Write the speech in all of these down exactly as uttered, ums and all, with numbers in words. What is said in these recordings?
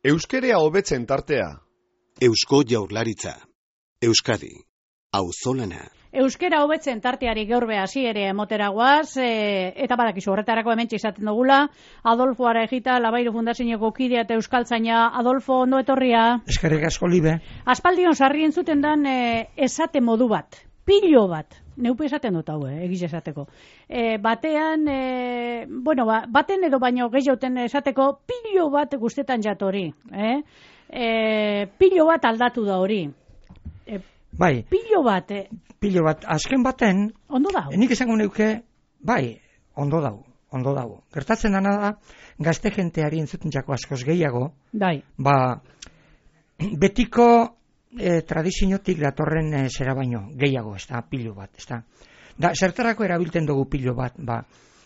Euskerea hobetzen tartea. Eusko Jaurlaritza. Euskadi. Auzolana. Euskera hobetzen tarteari gaur be hasiere emoteragoaz, e, eta badakizu horretarako hementxe izaten dugula, Adolfo Arejita, Labairu Fundazioko kidea eta euskaltzaina. Adolfo, ondo etorria. Eskerrik asko, Libe. Aspaldion sarri entzuten dan e, esate modu bat, pilo bat. Neupe esaten dut hau, eh, egiz esateko. E, batean, e, bueno, ba, baten edo baino gehioten esateko pilo bat guztetan jatori. Eh? E, pilo bat aldatu da hori. E, bai. Pilo bat. Eh. Pilo bat. Azken baten, ondo dago. Nik esango neuke, bai, ondo dago, ondo dago. Gertatzen dana da, gazte jenteari entzuten jako askoz gehiago, bai. Ba, betiko E, tradiziotik datorren e, zera baino, gehiago, ez da, pilo bat, ez da. Da, zertarako erabiltzen dugu pilo bat, ba,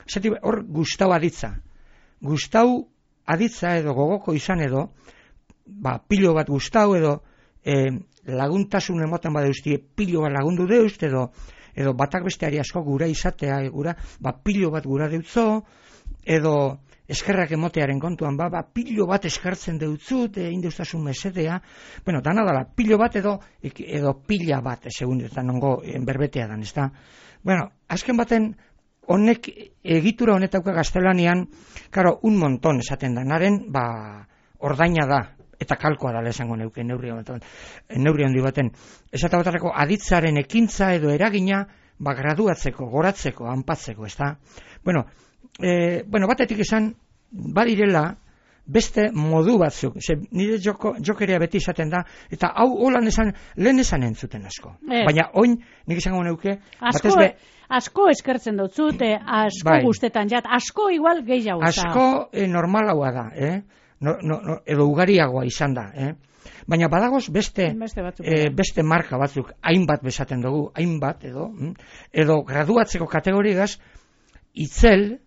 zati, hor gustau aditza. Gustau aditza edo gogoko izan edo, ba, pilo bat gustau edo e, laguntasun emoten badeuzti, pilo bat lagundu deust edo, edo batak besteari asko gura izatea, gura, ba, pilo bat gura deutzo, edo eskerrak emotearen kontuan, ba, ba, pilo bat eskertzen deutzut, e, indeustasun mesedea, bueno, dana dala, pilo bat edo, edo pila bat, segun, eta nongo berbetea dan, ez da? Bueno, azken baten, honek, egitura honetauka gaztelanian, karo, un monton esaten da, naren, ba, ordaina da, eta kalkoa dala esango neuke, neurri honetan, neurri handi baten, esata batarako, aditzaren ekintza edo eragina, ba, graduatzeko, goratzeko, anpatzeko, ez da? Bueno, E, bueno, batetik esan, badirela, beste modu batzuk. Ze, nire joko, jokerea beti izaten da, eta hau holan esan, lehen esan entzuten asko. Eh. Baina, oin, nik esango neuke, asko, be, asko eskertzen dutzut, asko bai. Guztetan jat, asko igual gehiago. Asko e, normalagoa da, eh? no, no, no, edo ugariagoa izan da, eh? Baina badagoz beste, beste, batzuk, e, beste marka batzuk, hainbat besaten dugu, hainbat, edo, edo graduatzeko kategoriagaz, itzel,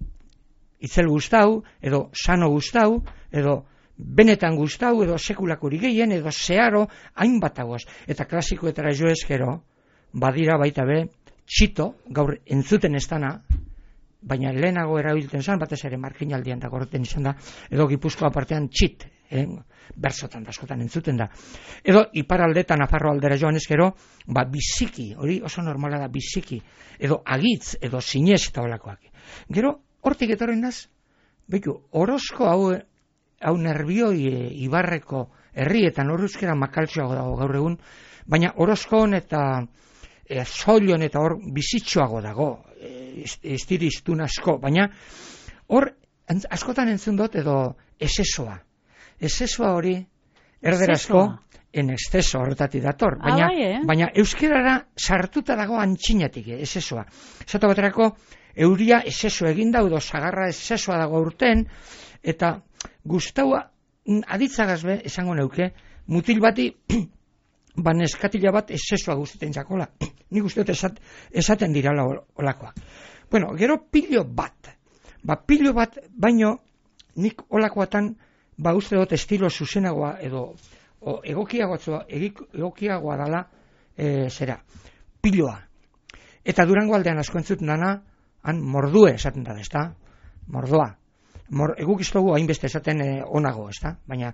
itzel gustau, edo sano gustau, edo benetan gustau, edo sekulakuri gehien, edo zeharo, hainbat agoz. Eta klasikoetara jo eskero, badira baita be, txito, gaur entzuten ez dana, baina lehenago erabiltzen zen, batez ere markinaldian da gorten izan da, edo Gipuzkoa partean txit, eh? Bersotan da, askotan entzuten da. Edo iparaldetan Nafarro aldera joan eskero, ba, biziki, hori oso normala da, biziki, edo agitz, edo zinez eta olakoak. Gero, hortik etorren naz, behitu, orozko hau, hau nerbioi e, ibarreko herrietan horrezkera makaltxoago dago gaur egun, baina orozkoon eta e, zoilion eta hor bizitxoago dago, e, estiriztun asko, baina hor askotan entzun dut edo esesoa. Esesoa hori erderazko en exceso horretatik dator, baina, ah, bai, eh? baina euskerara sartuta dago antxinatik, eh, esesoa. Zato baterako, euria eseso eginda, edo sagarra esesoa dago urten, eta gustaua aditzagazbe, esango neuke, mutil bati, baneskatila bat esesoa guzteten jakola. Nik uste dut esat, esaten dirala olakoak. Bueno, gero pilo bat. Ba, pilo bat, baino, nik olakoatan, ba, uste dut estilo zuzenagoa, edo o, egokiagoa, egokiagoa dala, e, zera, piloa. Eta Durango aldean asko entzuten dana, han mordue esaten da, ez da? Mordoa. Mor, eguk iztogu hainbeste esaten e, onago, ez da? Baina,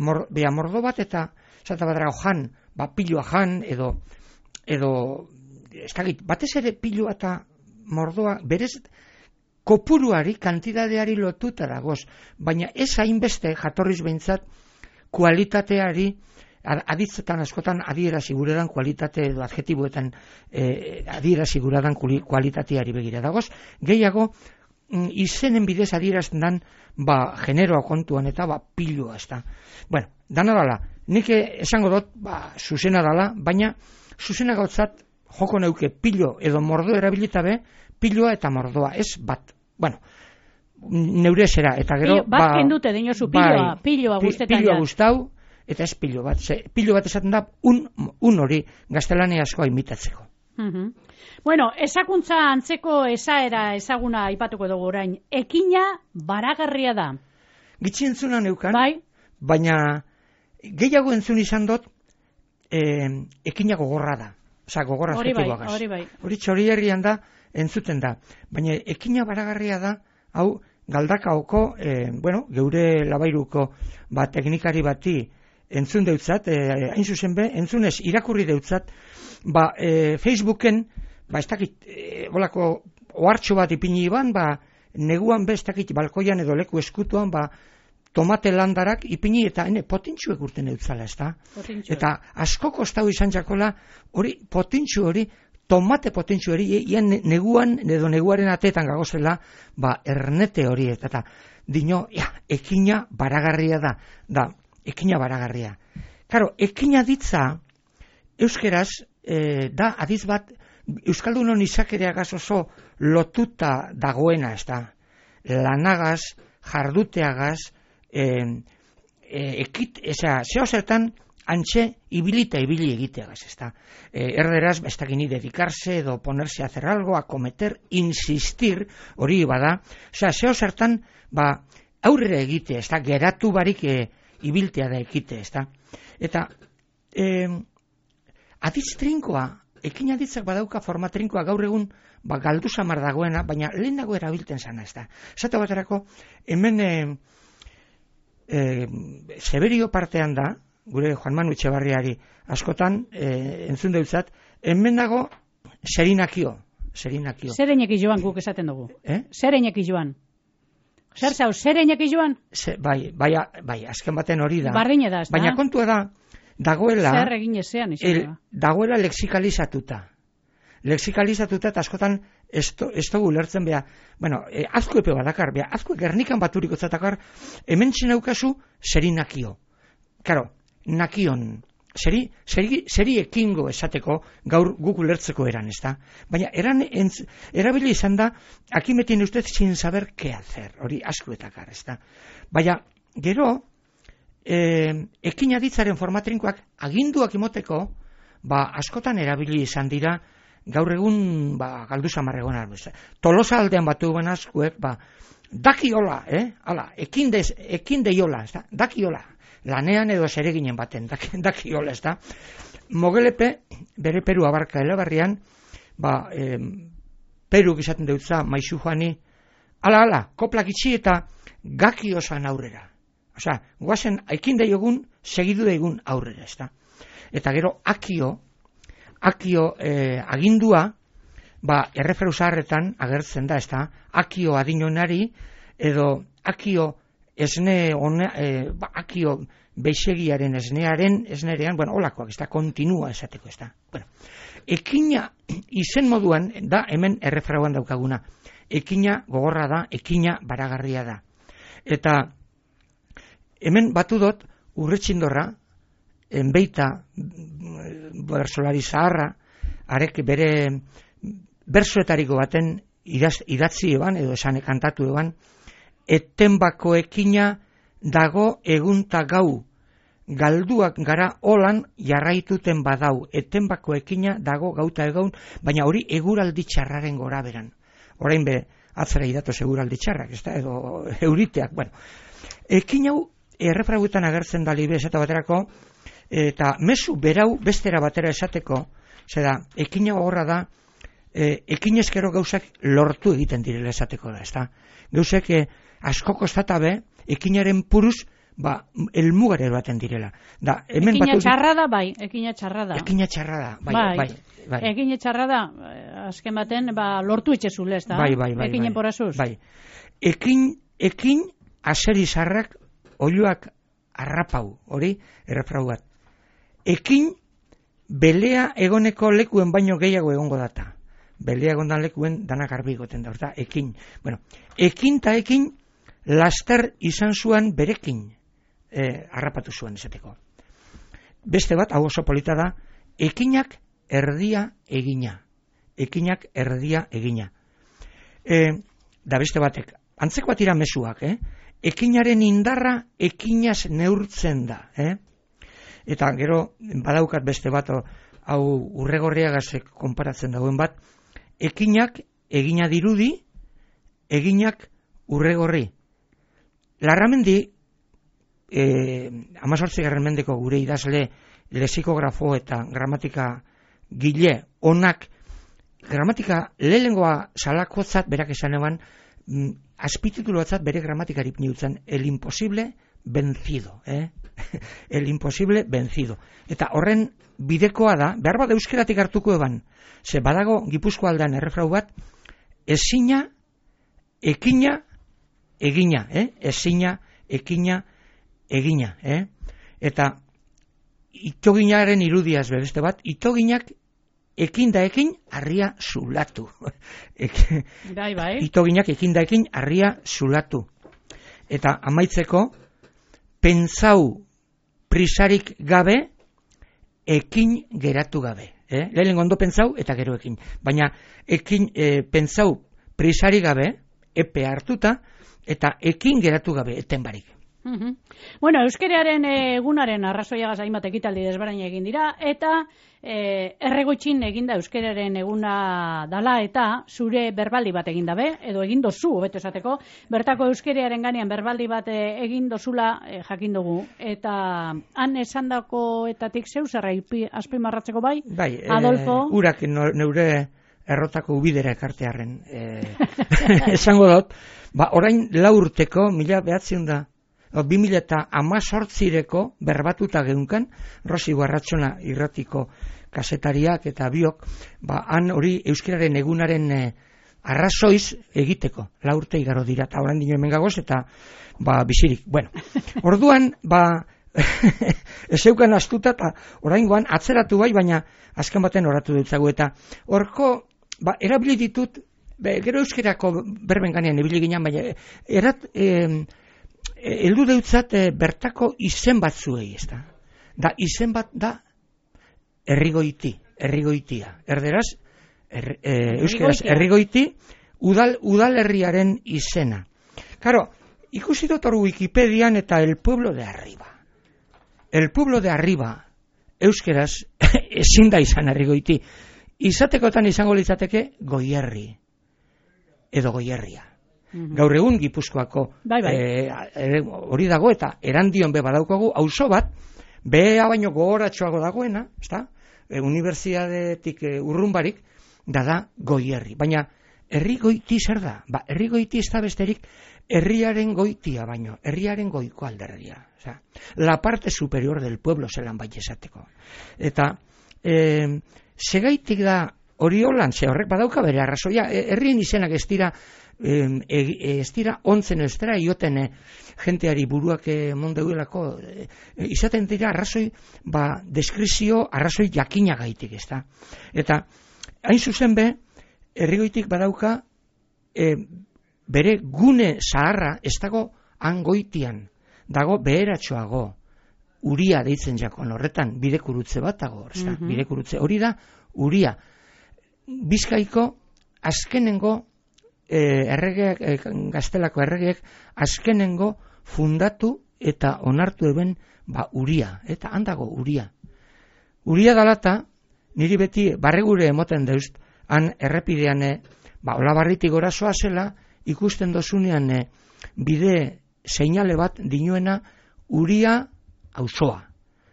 mor, bea mordo bat eta, esaten badara, jan, ba, piloa jan, edo, edo, ez da, batez ere piloa eta mordoa, berez, kopuruari, kantidadeari lotuta dagoz, baina ez hainbeste jatorriz behintzat kualitateari, aditzetan askotan adierazi guredan kualitate edo adjetiboetan eh, adierazi guredan kualitateari begira dagoz, gehiago mm, izenen bidez adierazten dan ba, generoa kontuan eta ba, piloa ez da. Bueno, dana dala, nik esango dut ba, zuzena dala, baina zuzena gautzat joko neuke pilo edo mordo erabilitabe, piloa eta mordoa, ez bat. Bueno, neure zera, eta gero... Pilo, bat ba, kendute dinozu, piloa, bai, piloa guztetan. Piloa guztau, eta ez pilo bat. Ze, pilo bat esaten da, un, un hori gaztelania askoa imitatzeko. Uh-huh. Bueno, esakuntza antzeko esaera ezaguna aipatuko dugu orain. Ekina baragarria da. Gitzi entzuna neukan, bai? Baina gehiago entzun izan dut, eh, ekina gogorra da. Osa, gogorra adjetiboagaz. Hori bai, hori bai. Hori txori herrian da, entzuten da. Baina ekina baragarria da, hau Galdakaoko, e, bueno, geure labairuko ba, teknikari bati entzun deutzat, e, hain zuzen be, entzunez irakurri deutzat, ba, e, Facebooken, ba, ez dakit, e, bolako ohartxo bat ipini iban, ba, neguan be, ez dakit, balkoian edo leku eskutuan, ba, tomate landarak ipini eta hene potintxuek urten eutzala, ez da? Eta asko kostau izan jakola, hori, potintxu hori, tomate potintxu hori, ian neguan, edo neguaren atetan gagozela, ba, ernete hori, eta dino, ja, ekina baragarria da, da, ekina baragarria. Karo, ekina ditza, euskeraz, e, da, adiz bat, Euskaldunon izakereagaz oso lotuta dagoena, ez da? Lanagaz, jarduteagaz, e, e, ekit, eza, zeo zertan, antxe, ibilita ibili egiteagaz, ez da? E, erderaz, ez dakini dedikarse, edo ponerse a hacer algo, a cometer, insistir, hori bada, oza, zeo zertan, ba, aurrera egite, ez da? Geratu barik e, ibiltea da ekite, ez da? Eta, e, aditz trinkoa, ekin aditzak badauka forma trinkoa gaur egun ba, galdu samar dagoena, baina lehenago erabilten zana, ez da. Zata baterako, hemen e, e, Severio partean da, gure Juan Manu Etxebarriari askotan, e, entzun deutzat, hemen dago Serinakio. Serinakio. Zereinek joan guk esaten dugu. Eh? Zereinek joan. Zer zau, zereinek joan? Se, bai, bai, bai, azken baten hori da. Barrine da, ez da? Baina kontua da, dagoela, zer egin ezean, el, dagoela lexikalizatuta. Lexikalizatuta eta askotan ez dugu lertzen beha, bueno, e, azko epe badakar, beha, azko gernikan baturiko zatakar, hemen txenaukazu serinakio. Karo, nakion, seri, seri, seri ekingo esateko gaur guk ulertzeko eran, ez da? Baina eran, entz, erabili izan da, aquí me tiene usted sin saber qué hacer, hori askuetakar, ez da? Baina, gero, E, ekin aditzaren formatrinkoak aginduak imoteko, ba, askotan erabili izan dira, gaur egun, ba, galdu samarregon arbuz. Tolosa aldean batu ben askuek, ba, dakiola, eh? Hala, ekin, dez, ekin deiola, ez da? Dakiola, lanean edo zereginen baten, dakiola, ez da? Mogelepe, bere Peru abarka elebarrian, ba, e, Peru gizaten deutza, maizu joani, ala, ala, koplak itxi eta gaki osan aurrera. Osa, guazen, aikin daiogun, segidu daigun aurrera, ez da. Eta gero, akio, akio eh, agindua, ba, erreferu zaharretan agertzen da, ez da, akio adinonari, edo akio esne, one, eh, ba, akio beixegiaren esnearen, esnerean, bueno, olakoak, ez da, kontinua esateko, ez da. Bueno, ekina izen moduan, da, hemen erreferuan daukaguna, ekina gogorra da, ekina baragarria da. Eta, hemen batu dut, urretxindorra, enbeita, bersolari zaharra, arek bere bersoetariko baten idaz, idatzi eban, edo esan kantatu eban, etenbako ekina dago egunta gau, galduak gara holan jarraituten badau, etenbako ekina dago gauta egun, baina hori eguraldi txarraren gora beran. Orain be, atzera idatoz eguraldi txarrak, ez da, edo euriteak, bueno. Ekin hau, errefraguetan agertzen da libe esate baterako, eta mezu berau bestera batera esateko, zeda, ekina horra da, e, ekin ezkero gauzak lortu egiten direla esateko da, ez da? Gauzek e, asko kostatabe, ekinaren puruz, ba, elmugare baten direla. Da, hemen ekina batu... txarra da, bai, ekina txarra da. Ekina txarra da, bai, bai. bai. bai. Ekina txarra da, azken baten, ba, lortu etxezule, ez da? Bai, bai, bai. Ekinen bai. porazuz. Bai. Ekin, ekin, aseri zarrak, oiluak arrapau, hori, errefrau bat. Ekin, belea egoneko lekuen baino gehiago egongo data. Belea egondan lekuen danak arbi goten da, orta, ekin. Bueno, ekin ta ekin, laster izan zuen berekin, eh, harrapatu zuen esateko. Beste bat, hau oso polita da, ekinak erdia egina. Ekinak erdia egina. E, da beste batek, antzeko atira mezuak, eh? Ekinaren indarra ekinaz neurtzen da, eh? Eta gero, badaukat beste bat, hau urregorriagazek konparatzen dagoen bat, ekinak egina dirudi, eginak urregorri. Larramendi, eh, amazortzigarren mendeko gure idazle lexikografo eta gramatika gile onak, gramatika lehengoa salakotzat berak esan eban, azpititulu batzat bere gramatikari niutzen, el imposible vencido, eh? el imposible vencido. Eta horren bidekoa da, behar bat euskeratik hartuko eban, ze badago Gipuzko aldean errefrau bat, ezina, ekina, egina, eh? ezina, ekina, egina, eh? Eta itoginaren irudiaz beste bat, itoginak ekin da ekin harria zulatu. Bai, bai. Itoginak ekin da ekin harria zulatu. Eta amaitzeko, pentsau prisarik gabe, ekin geratu gabe. Eh? Lehen ondo pentsau eta gero ekin. Baina ekin, e, pentsau prisarik gabe, epe hartuta, eta ekin geratu gabe, eten barik. Uh-huh. Bueno, euskeraren egunaren arrazoiagaz hainbat ekitaldi desberdin egin dira, eta e, erregoitxin eginda euskeraren eguna dala, eta zure berbaldi bat egin dabe, edo egin dozu, hobeto esateko, bertako euskeraren ganean berbaldi bat egin dozula e, jakin dugu, eta han esandakoetatik zeu zerra azpimarratzeko bai? Bai, Adolfo? E, urak neure errotako ubidera ekartearen e, esango dut, ba, orain lau urteko, mila behatzen da, bi mila eta hamazortzireko berbatuta geunkan, Rosi Guarratxona irratiko kasetariak eta biok, ba, han hori euskararen egunaren e, arrazoiz egiteko, lau urte igaro dira, eta orain dino hemen gagoz, eta ba, bizirik. Bueno, orduan, ba, ez eukan astuta, eta orain guan atzeratu bai, baina azken baten oratu dutzagu, eta horko, ba, erabili ditut, be, gero euskarako berben ganean ebili ginen, baina erat, e, heldu deutzat e, bertako izen batzuei, ez da. Da, izen bat da errigoiti, errigoitia. Erderaz, er, e, euskeraz, errigoiti, udal, udalerriaren izena. Karo, ikusi dut hor Wikipedian eta el pueblo de arriba. El pueblo de arriba, euskeraz, ezin da izan errigoiti. Izatekotan izango litzateke goierri, edo goierria. Mm-hmm. Gaur egun Gipuzkoako bai, bai. E, hori dago eta erandion be badaukagu auzo bat, bea baino gogoratxoago dagoena, ezta? E, Unibertsitatetik e, urrunbarik, da da goierri. Baina herri goiti zer da? Ba, herri goiti ez da besterik herriaren goitia baino, herriaren goiko alderdia. Oza, la parte superior del pueblo zelan bai esateko. Eta e, segaitik da hori holan, ze horrek badauka bere arrazoia, herrien izenak ez dira E, e, ez dira ontzen ez dira ioten e, jenteari buruak e, mondeuelako e, e, izaten dira arrazoi ba, deskrizio arrazoi jakinagaitik ez da. Eta hain zuzen be herrigoitik badauka e, bere gune zaharra ez dago angoitian, dago beheratxoago, uria deitzen jakon horretan bidekurutze bat dago, mm-hmm. bidekurutze hori da uria. Bizkaiko azkenengo E, erregeak, e, gaztelako erregeek azkenengo fundatu eta onartu eben ba, uria, eta handago uria. Uria dalata, niri beti barregure emoten deust, han errepidean, ba, olabarritik gorazoa zela, ikusten dozunean e, bide seinale bat dinuena uria auzoa.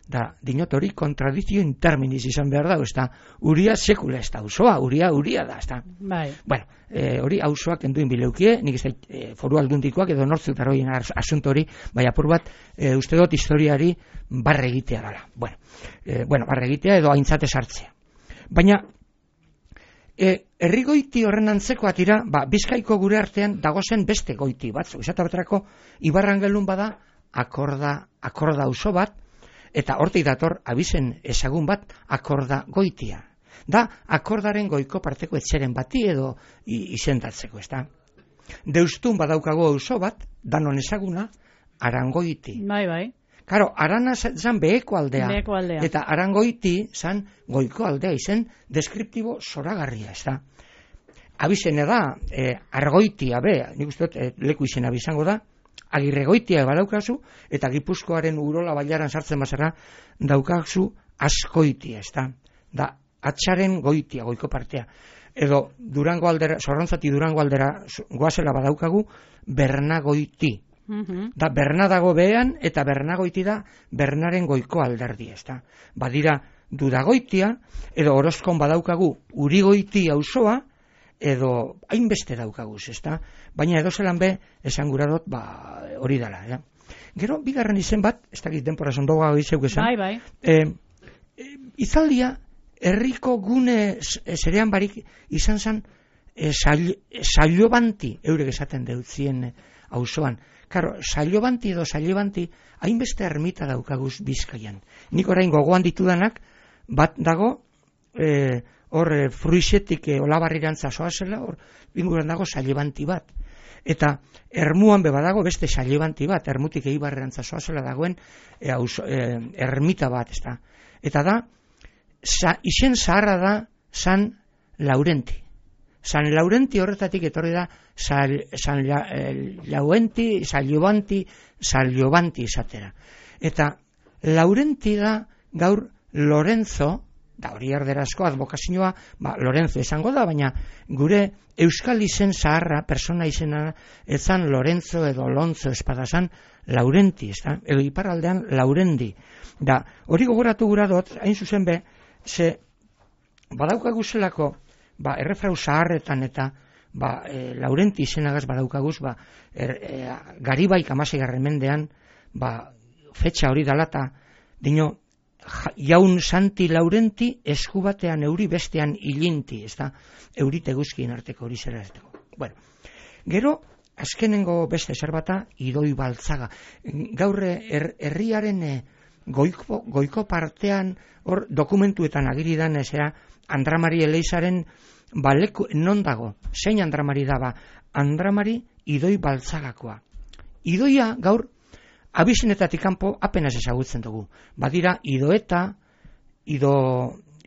Da, dinot hori kontradizio in terminis izan behar da, ez da, uria sekula ez da, auzoa, uria, uria da, ez da. Bai. Bueno, e, hori auzoak enduin bileukie, nik ez da e, foru aldundikoak edo nortzuk daroien asunto hori, bai apur bat, e, uste dut historiari barre egitea dala. Bueno, e, bueno, barre egitea edo aintzate sartzea. Baina, e, herri goiti horren antzeko atira, ba, Bizkaiko gure artean dagozen beste goiti batzu. Izata baterako, Ibarrangelun bada, akorda, akorda auzo bat, eta hortik dator abizen ezagun bat akorda goitia. Da, akordaren goiko parteko etxeren bati edo izendatzeko, ez da. Deustun badaukago auzo bat, danon ezaguna, Arangoiti. Bai, bai. Karo, Arana zan beheko aldea. Beheko aldea. Eta Arangoiti zan goiko aldea izen deskriptibo zoragarria, ez da. Abizene da, e, Argoitia be, nik uste dut e, leku izena bizango da, Agirregoitia badaukazu, eta Gipuzkoaren urola bailaran sartzen bazara, daukazu Azkoitia, ez da. Da, atxaren goitia, goiko partea. Edo, Durango aldera, Zorrontzati Durango aldera goazela badaukagu, Bernagoiti. Mm-hmm. Da, Berna dago behean, eta Bernagoiti da, Bernaren goiko alderdi, ez da. Badira, Dudagoitia, edo Orozkon badaukagu, Urigoiti auzoa, edo hainbeste daukaguz, ezta? Baina edo zelan be, esan gura dut, ba, hori dela, ja. Gero, bigarren izen bat, ez dakit denpora zondoga hori zeuk esan, Bai, bai. e, e, izaldia, herriko gune zerean barik izan zen, e, saiobanti, eurek esaten deutzien auzoan. Karo, saiobanti edo saiobanti, hainbeste ermita daukaguz Bizkaian. Nik orain gogoan ditudanak, bat dago, e, hor e, fruixetik e, olabarrirantza zoazela, hor inguruan dago saiobanti bat. Eta ermuan beba dago beste saiobanti bat, ermutik eibarrirantza zoazela dagoen e, auzo, e, ermita bat, ez da. Eta da, sa, izen zaharra da San Laurenti. San Laurenti horretatik etorri da San, San Laurenti, San Llobanti, San Llobanti izatera. Eta Laurenti da gaur Lorenzo, da hori erderazko advokazioa, ba, Lorenzo izango da, baina gure euskal izen zaharra, persona izena, ezan Lorenzo edo Lonzo espadazan Laurenti, ez da? Edo iparraldean Laurendi. Da, hori gogoratu gura dut, hain zuzen be, ze badaukaguzelako, ba, errefrau zaharretan eta ba, e, Laurenti izenagaz badaukaguz, ba, er, e, Garibaik amaseigarren mendean, ba, fetxa hori dalata, dino, jaun Santi Laurenti esku batean euri bestean ilinti, ez da, eurite guzkien arteko hori zera ez dago. Bueno, gero, azkenengo beste zerbata, Idoi Baltzaga. Gaur er, herriaren e, goiko, goiko partean, hor dokumentuetan agiridan, ezea, Andramari Eleizaren baleku, non dago, zein Andramari daba, Andramari Idoi Baltzagakoa. Idoia gaur, abizenetatik kanpo apenas ezagutzen dugu. Badira Idoeta, Ido,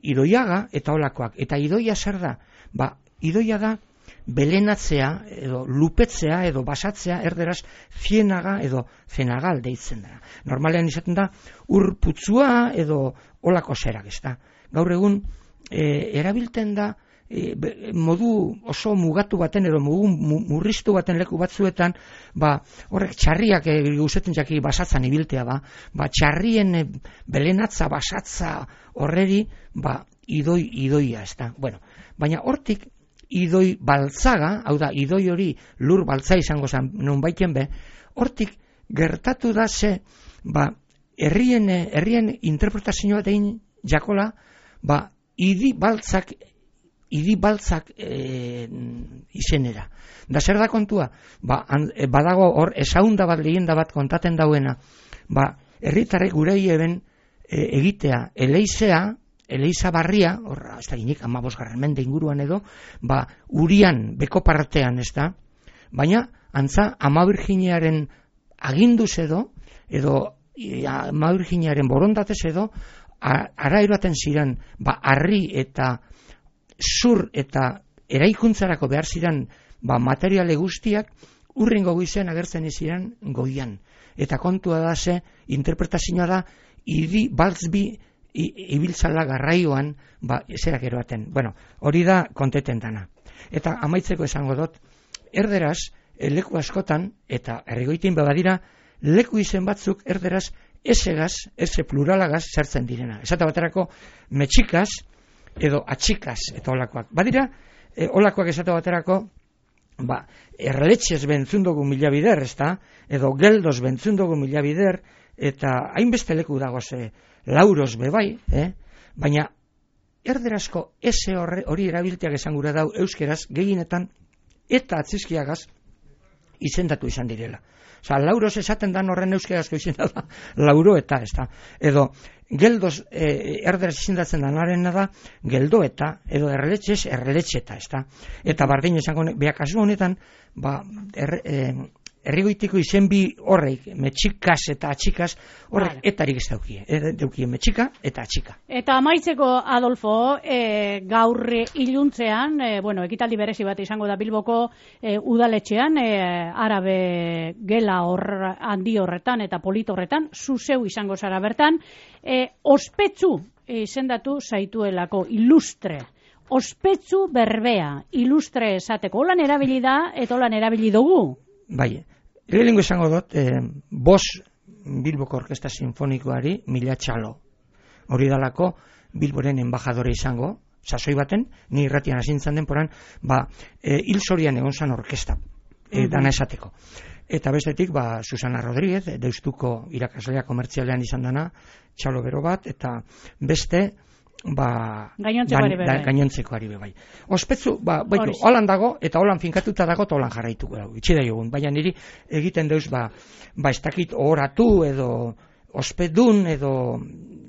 Idoiaga eta olakoak. Eta Idoia zer da? Ba, Idoia da belenatzea, edo lupetzea, edo basatzea, erderaz zienaga edo zenagal deitzen da. Normalean izaten da, urputzua edo olako zerak, ez da. Gaur egun, E, erabilten da e, modu oso mugatu baten edo mugu, murriztu baten leku batzuetan, ba, horrek txarriak e, guzetzen jaki basatzan ibiltea ba, ba txarrien e, belenatza basatza horreri, ba, idoi idoia, ez da. Bueno, baina hortik Idoi Baltzaga, hau da, idoi hori lur baltza izango zen non baiten be, hortik gertatu da ze, ba, herrien, herrien interpretazioa dein jakola, ba, Idi baltzak, idi baltzak e, izenera. Da zer da kontua? Ba, an, e, badago hor esaunda bat, leyenda bat kontaten dauena. Ba, herritarrek gurei eben e, egitea, eleizea, eleiza barria, horra, ez da ginik, amabosgarren mende inguruan edo, ba, urian, beko partean, ez da? Baina, antza, ama Virginiaren aginduz edo, edo ama Virginiaren borondatez edo, ara eroaten ziren, ba, harri eta zur eta eraikuntzarako behar ziren, ba, materiale guztiak, urrengo goizen agertzen ziren goian. Eta kontua da ze, interpretazioa da, idi baltzbi ibiltzala garraioan, ba, zerak eroaten. Bueno, hori da konteten dana. Eta amaitzeko esango dut, erderaz, leku askotan, eta errigoitin badira, leku izen batzuk erderaz, esegaz, ese pluralagaz sartzen direna. Esate baterako metxikaz edo atxikaz eta olakoak. Badira, e, olakoak esate baterako, ba, erletxez bentzundogu mila bider, ezta? Edo geldoz bentzundogu mila bider, eta hainbeste leku dagoz e, lauros bebai, eh? Baina erderazko ese horre, hori erabilteak esan gura dau euskeraz gehienetan eta atzizkiagaz izendatu izan direla. Osa, lauros esaten dan horren euskerazko izena da, lauro eta, ez da. Edo, geldoz e, erderaz izendatzen danarena da, geldo eta, edo erreletxez, erreletxeta, ez da. Eta bardin esango, beha kasu honetan, ba, er, e, errigoitiko izen bi horreik, metxikaz eta atxikaz, horrek vale. Etarik ez daukie, e, daukie metxika eta atxika. Eta amaitzeko, Adolfo, e, gaur iluntzean, e, bueno, ekitaldi berezi bat izango da Bilboko e, udaletxean, e, arabe gela hor handi horretan eta polit horretan, zuzeu izango zara bertan, e, ospetsu izendatu zaituelako ilustre. Ospetsu berbea, ilustre esateko. Holan erabili da eta holan erabili dugu. Bai, lehenengo esango dut, eh, bos Bilboko Orkesta Sinfonikoari mila txalo. Hori dalako Bilboren embajadore izango, sasoi baten, ni irratian hasintzen den poran, ba, e, hil zorian egon zan orkesta, e, dana esateko. Eta bestetik, ba, Susana Rodríguez, Deustuko irakaslea komertzialean izan dana, txalo bero bat, eta beste, ba, gainontzekoari bai. Gainontzekoari bai. Ospetsu, ba, baitu, holan dago, eta holan finkatuta dago, eta holan jarraituko dago, itxida jogun. Baina niri egiten deuz, ba, ba, ez dakit oratu edo ospedun edo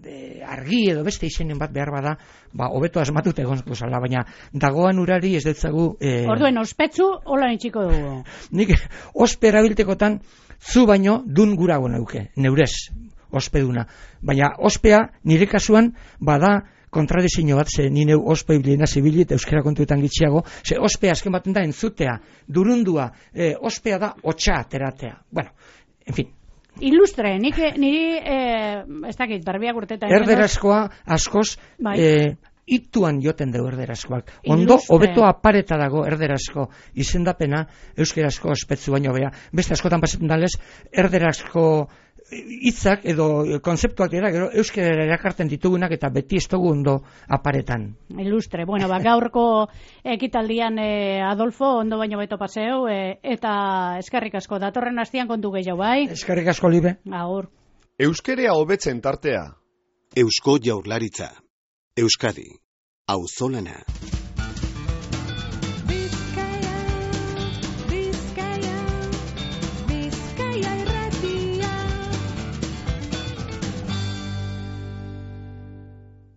e, argi edo beste izenen bat behar bada, ba, hobeto asmatut egonko zala, baina dagoan urari ez dutzagu... E... Orduen, ospetsu, holan itxiko dugu. Nik, ospe erabiltekotan, zu baino dun gurago neuke, neurez, ospeduna. Baina ospea, nire kasuan, bada, kontradizio bat, ze ni neu ospe ibilena zibili eta euskara kontuetan gitxiago, ze ospea azken baten da entzutea, durundua, e, ospea da hotxa ateratea. Bueno, en fin. Ilustre, nik, niri, eh, ez dakit, barbiak urtetan... Erderazkoa, askoz, bai. eh, ituan joten dugu erderazkoak. Ondo, hobeto apareta dago erderazko izendapena, euskerazko ospetzu baino bea. Beste askotan pasetan dalez, erderazko hitzak edo konzeptuak dira, gero euskara erakartzen ditugunak eta beti ez dugu ondo aparetan. Ilustre, bueno, ba, gaurko ekitaldian eh, Adolfo, ondo baino beto paseo, eh, eta eskerrik asko, datorren astian kontu gehiago, bai? Eskerrik asko, Libe. Agur. Euskerea hobetzen tartea. Eusko Jaurlaritza. Euskadi. Auzolana.